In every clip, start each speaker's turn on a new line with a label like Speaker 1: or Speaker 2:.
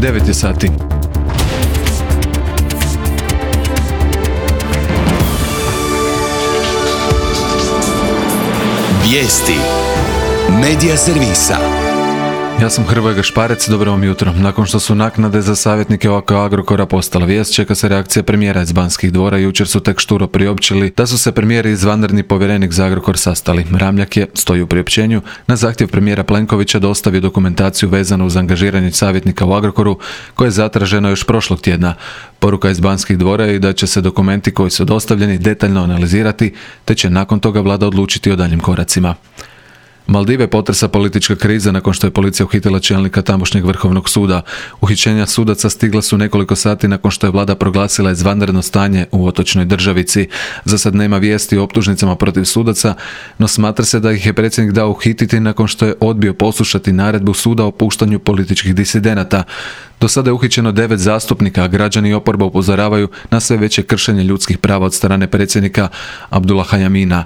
Speaker 1: 9 je sati.
Speaker 2: Vijesti Medija servisa.
Speaker 1: Ja sam Hrvoje Gašparec, dobro vam jutro. Nakon što su naknade za savjetnike oko Agrokora postala vijest, čeka se reakcija premijera iz Banskih dvora. Jučer su tek šturo priopćili da su se premijer i izvanredni povjerenik za Agrokor sastali. Ramljak je, stoji u priopćenju, na zahtjev premijera Plenkovića dostavio dokumentaciju vezanu uz angažiranje savjetnika u Agrokoru, koje je zatraženo još prošlog tjedna. Poruka iz Banskih dvora je da će se dokumenti koji su dostavljeni detaljno analizirati, te će nakon toga vlada odlučiti o daljim koracima. Maldive potresa politička kriza nakon što je policija uhitila čelnika tamošnjeg vrhovnog suda. Uhićenja sudaca stigla su nekoliko sati nakon što je vlada proglasila izvanredno stanje u otočnoj državici. Za sad nema vijesti o optužnicama protiv sudaca, no smatra se da ih je predsjednik dao uhititi nakon što je odbio poslušati naredbu suda o puštanju političkih disidenata. Do sada je uhićeno 9 zastupnika, a građani i oporba upozoravaju na sve veće kršenje ljudskih prava od strane predsjednika Abdullaha Jamina.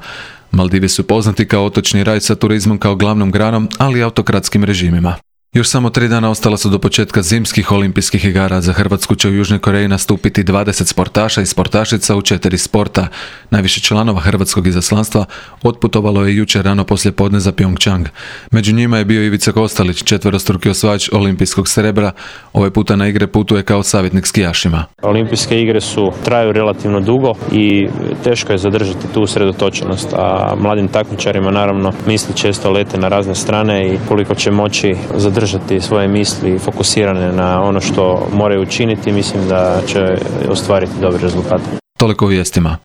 Speaker 1: Maldivi su poznati kao otočni raj sa turizmom kao glavnom granom, ali i autokratskim režimima. Još samo 3 dana ostala su do početka zimskih olimpijskih igara. Za Hrvatsku će u Južnoj Koreji nastupiti 20 sportaša i sportašica u 4 sporta. Najviše članova hrvatskog izaslanstva otputovalo je jučer rano poslije podne za Pyeongchang. Među njima je bio Ivica Kostelić, četverostruki osvajač olimpijskog srebra. Ovaj puta na igre putuje kao savjetnik skijašima.
Speaker 3: Olimpijske igre traju relativno dugo i teško je zadržati tu usredotočenost, a mladim takmičarima naravno misli često lete na razne strane i koliko će moći zadržati svoje misli fokusirane na ono što moraju učiniti, mislim da će ostvariti dobre rezultate.
Speaker 1: Toliko u vijestima.